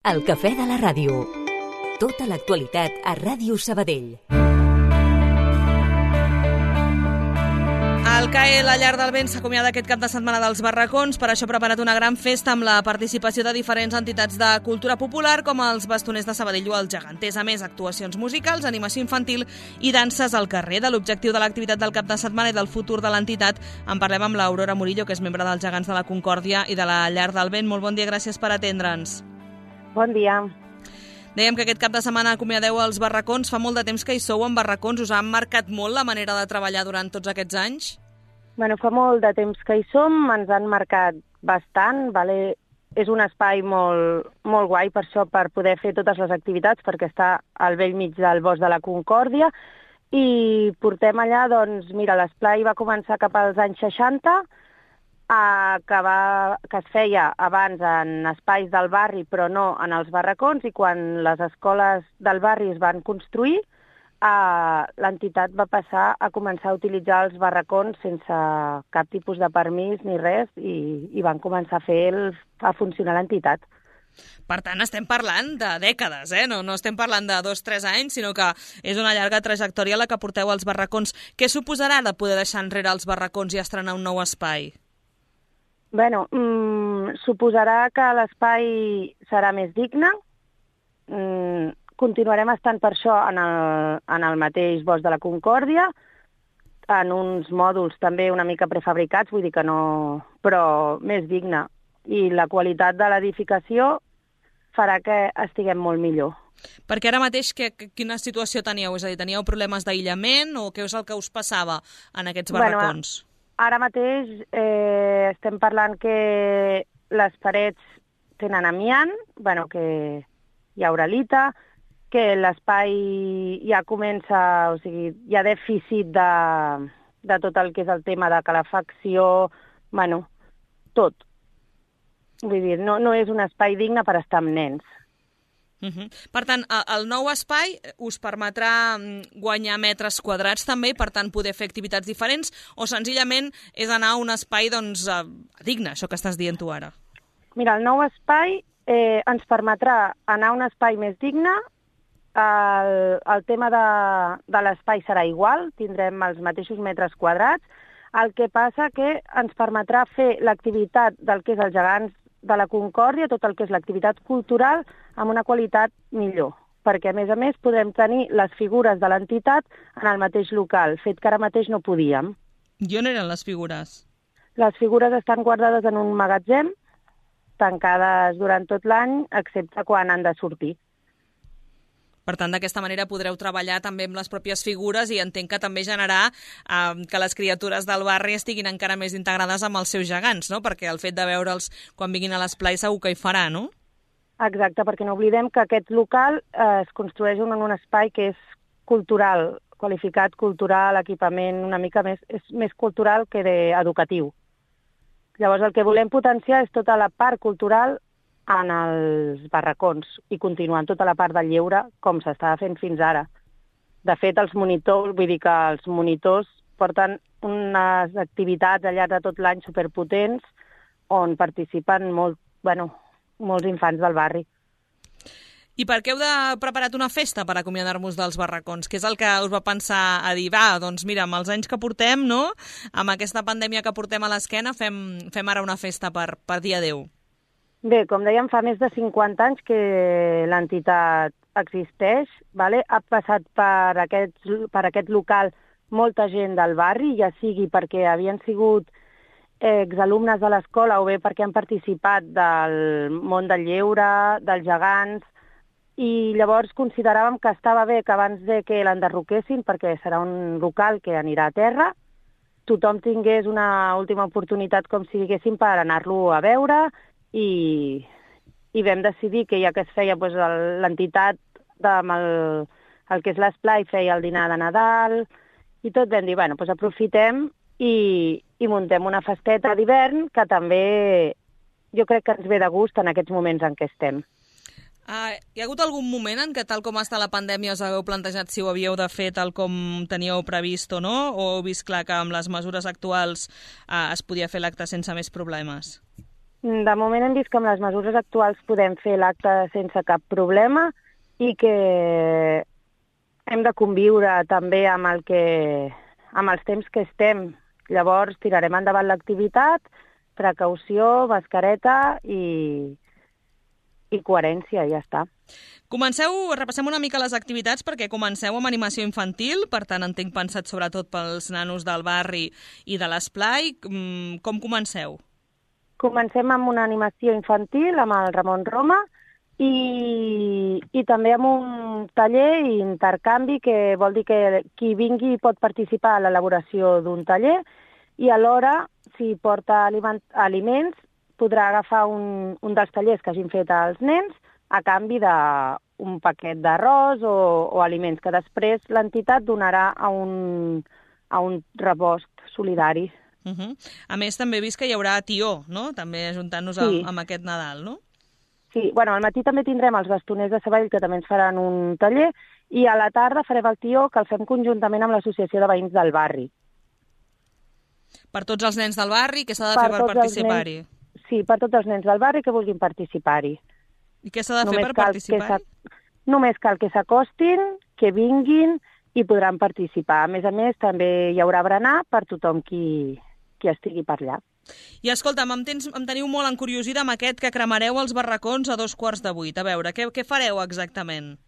El cafè de la ràdio. Tota l'actualitat a Ràdio Sabadell. El CAE, la Llar del Vent, s'acomiada aquest cap de setmana dels barracons. Per això ha preparat una gran festa amb la participació de diferents entitats de cultura popular, com els Bastoners de Sabadell o els Geganters. A més, actuacions musicals, animació infantil i danses al carrer. De l'objectiu de l'activitat del cap de setmana i del futur de l'entitat en parlem amb l'Aurora Murillo, que és membre dels Gegants de la Concòrdia i de la Llar del Vent. Molt bon dia, gràcies per atendre'ns. Bon dia. Dèiem que aquest cap de setmana acomiadeu els barracons. Fa molt de temps que hi sou en barracons. Us han marcat molt la manera de treballar durant tots aquests anys? Bueno, fa molt de temps que hi som, ens han marcat bastant, vale? És un espai molt guai per això, per poder fer totes les activitats, perquè està al vell mig del bosc de la Concòrdia, i portem allà, doncs, mira, l'esplai va començar cap als anys 60, que es feia abans en espais del barri, però no en els barracons, i quan les escoles del barri es van construir, l'entitat va passar a començar a utilitzar els barracons sense cap tipus de permís ni res, i van començar a funcionar l'entitat. Per tant, estem parlant de dècades, no estem parlant de 2-3 anys, sinó que és una llarga trajectòria la que porteu als barracons. Què suposarà de poder deixar enrere els barracons i estrenar un nou espai? Bueno, suposarà que l'espai serà més digne. Continuarem estant per això en el mateix bosc de la Concòrdia, en uns mòduls també una mica prefabricats, vull dir que no, però més digne. I la qualitat de l'edificació farà que estiguem molt millor. Perquè ara mateix quina situació teníeu? És a dir, teníeu problemes d'aïllament o què és el que us passava en aquests barracons? Bueno, ara mateix estem parlant que les parets tenen amiant, bueno, que hi ha uralita, que l'espai ja comença, o sigui, hi ha dèficit de tot el que és el tema de calefacció, bueno, tot. Vull dir, no és un espai digne per estar amb nens. Per tant, el nou espai us permetrà guanyar metres quadrats també, per tant poder fer activitats diferents, o senzillament és anar a un espai digne, això que estàs dient tu ara? Mira, el nou espai ens permetrà anar a un espai més digne. El tema de l'espai serà igual, tindrem els mateixos metres quadrats, el que passa que ens permetrà fer l'activitat del que és els Gegants de la Concòrdia, tot el que és l'activitat cultural, amb una qualitat millor, perquè a més podrem tenir les figures de l'entitat en el mateix local, fet que ara mateix no podíem. I on eren les figures? Les figures estan guardades en un magatzem, tancades durant tot l'any, excepte quan han de sortir. Per tant, d'aquesta manera podreu treballar també amb les pròpies figures i entenc que també generar que les criatures del barri estiguin encara més integrades amb els seus gegants, no? Perquè el fet de veure'ls quan vinguin a l'esplai segur que hi farà, no? Exacte, perquè no oblidem que aquest local es construeix en un espai que és cultural, qualificat cultural, equipament una mica és més cultural que educatiu. Llavors el que volem potenciar és tota la part cultural en els barracons i continuant tota la part del lleure com s'estava fent fins ara. De fet, els monitors, vull dir que els monitors porten unes activitats al llarg de tot l'any superpotents on participen molts infants del barri. I per què heu preparat una festa per acomiadar-vos dels barracons? Què és el que us va pensar a dir, doncs mira, amb els anys que portem, no? Amb aquesta pandèmia que portem a l'esquena, fem ara una festa per dir adéu. Bé, com dèiem, fa més de 50 anys que l'entitat existeix, vale? Ha passat per aquest local molta gent del barri, ja sigui perquè havien sigut exalumnes de l'escola o bé perquè han participat del món del lleure, dels gegants, i llavors consideràvem que estava bé que abans de que l'enderroquessin, perquè serà un local que anirà a terra, tothom tingués una última oportunitat, com si diguéssim, per anar-lo a veure, i vam decidir que ja que es feia l'entitat amb el que és l'esplai, feia el dinar de Nadal i tot, vam dir, aprofitem i muntem una festeta d'hivern que també jo crec que ens ve de gust en aquests moments en què estem. Hi ha hagut algun moment en què, tal com està la pandèmia, us hagueu plantejat si ho havíeu de fer tal com teníeu previst o no? O heu vist clar que amb les mesures actuals es podia fer l'acte sense més problemes? De moment hem vist que amb les mesures actuals podem fer l'acte sense cap problema i que hem de conviure també amb els temps que estem. Llavors tirarem endavant l'activitat, precaució, mascareta i coherència, ja està. Repassem una mica les activitats perquè comenceu amb animació infantil, per tant entenc pensat sobretot pels nanos del barri i de l'esplai. Com comenceu? Comencem amb una animació infantil amb el Ramon Roma i també amb un taller i intercanvi, que vol dir que qui vingui pot participar a l'elaboració d'un taller i alhora, si porta aliments, podrà agafar un dels tallers que hagin fet els nens a canvi d'un paquet d'arròs o aliments que després l'entitat donarà a un rebost solidari. A més, també he vist que hi haurà tió, no? També ajuntant-nos amb aquest Nadal, no? Sí, al matí també tindrem els bastoners de Sabadell, que també ens faran un taller, i a la tarda farem el tió, que el fem conjuntament amb l'Associació de Veïns del Barri. Per tots els nens del barri, què s'ha de fer per participar-hi? Sí, per tots els nens del barri que vulguin participar-hi. I què s'ha de fer per participar-hi? Només cal que s'acostin, que vinguin i podran participar. A més, també hi haurà berenar per tothom qui estigui per allà. I escolta'm, em teniu molt encuriosida amb aquest que cremareu els barracons a 7:45. A veure, què fareu exactament?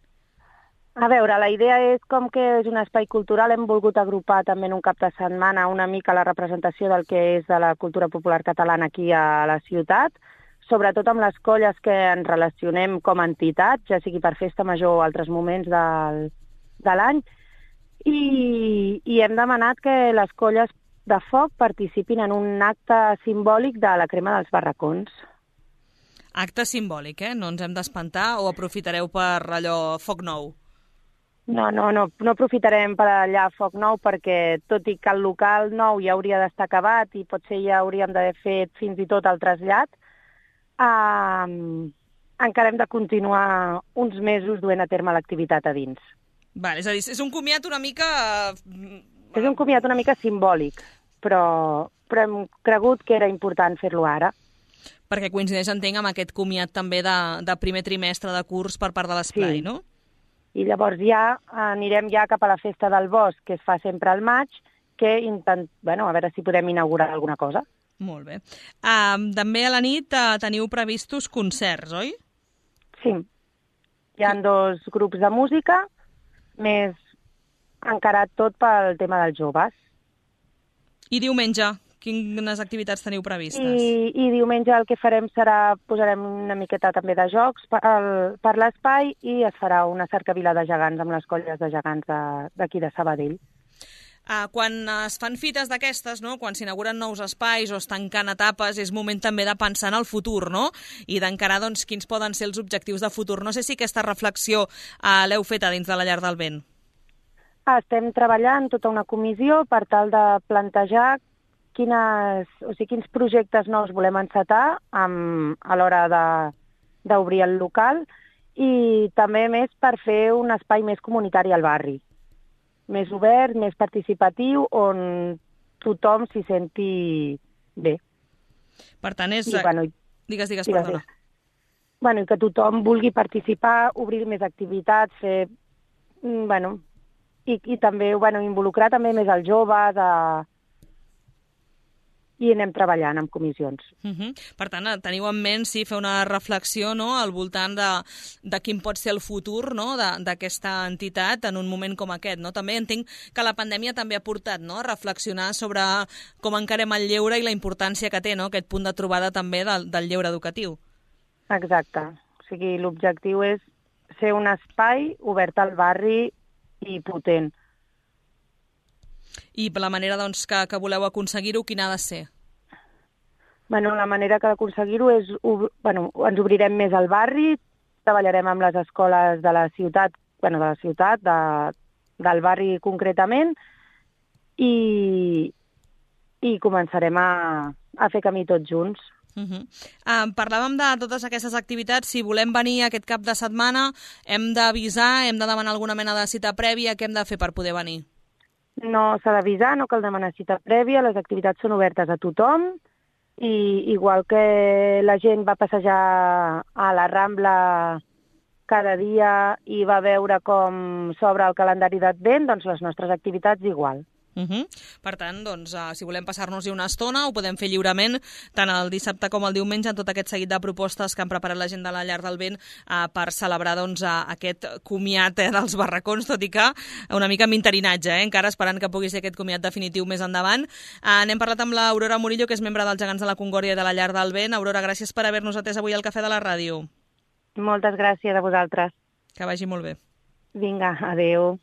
A veure, la idea és, com que és un espai cultural, hem volgut agrupar també en un cap de setmana una mica la representació del que és de la cultura popular catalana aquí a la ciutat, sobretot amb les colles que ens relacionem com a entitat, ja sigui per festa major o altres moments de l'any, i hem demanat que les colles de foc participin en un acte simbòlic de la crema dels barracons. Acte simbòlic, No ens hem d'espantar, o aprofitareu per allò foc nou? No aprofitarem per allà foc nou, perquè tot i que el local nou ja hauria d'estar acabat i potser ja hauríem d'haver fet fins i tot el trasllat, encara hem de continuar uns mesos duent a terme l'activitat a dins. Vale, és a dir, és un comiat una mica... És un comiat una mica simbòlic, però hem cregut que era important fer-lo ara. Perquè coincideix, entenc, amb aquest comiat també de primer trimestre de curs per part de l'esplai, no? I llavors ja anirem cap a la festa del bosc, que es fa sempre al maig, que a veure si podem inaugurar alguna cosa. Molt bé. També a la nit teniu previstos concerts, oi? Sí. Hi ha 2 grups de música, més encarat tot pel tema dels joves. I diumenge, quines activitats teniu previstes? I diumenge el que farem posarem una miqueta també de jocs per l'espai i es farà una cercavila de gegants amb les colles de gegants d'aquí de Sabadell. Quan es fan fites d'aquestes, no? Quan s'inauguren nous espais o es tanquen etapes, és moment també de pensar en el futur, no? I d'encarar quins poden ser els objectius de futur. No sé si aquesta reflexió l'heu feta dins de la Llar del Vent. Estem treballant tota una comissió per tal de plantejar quins projectes nous volem encetar a l'hora d'obrir el local i també més per fer un espai més comunitari al barri, més obert, més participatiu, on tothom s'hi senti bé. Per tant, és... Digues, perdona. I que tothom vulgui participar, obrir més activitats, fer... I també involucrar també més els joves i anem treballant amb comissions. Per tant, teniu en ment fer una reflexió al voltant de quin pot ser el futur d'aquesta entitat en un moment com aquest. També entenc que la pandèmia també ha portat a reflexionar sobre com encarem el lleure i la importància que té aquest punt de trobada també del lleure educatiu. Exacte. O sigui, l'objectiu és ser un espai obert al barri i potent. I la manera que voleu aconseguir-ho, quina ha de ser? La manera que d'aconseguir-ho és... ens obrirem més al barri, treballarem amb les escoles de la ciutat, del barri concretament, i començarem a fer camí tots junts. Parlàvem de totes aquestes activitats. Si volem venir aquest cap de setmana, hem d'avisar, hem de demanar alguna mena de cita prèvia. Què hem de fer per poder venir? No s'ha d'avisar, no cal demanar cita prèvia, les activitats són obertes a tothom i igual que la gent va passejar a la Rambla cada dia i va veure com s'obre el calendari d'Advent, doncs les nostres activitats igual. Per tant, doncs, si volem passar-nos-hi una estona, ho podem fer lliurement, tant el dissabte com el diumenge, en tot aquest seguit de propostes que han preparat la gent de la Llar del Vent per celebrar doncs, aquest comiat dels barracons, tot i que una mica amb interinatge, encara esperant que pugui ser aquest comiat definitiu més endavant. N'hem parlat amb l'Aurora Murillo, que és membre dels Gegants de la Concòrdia i de la Llar del Vent. Aurora, gràcies per haver-nos atès avui al Cafè de la Ràdio. Moltes gràcies a vosaltres. Que vagi molt bé. Vinga, adeu.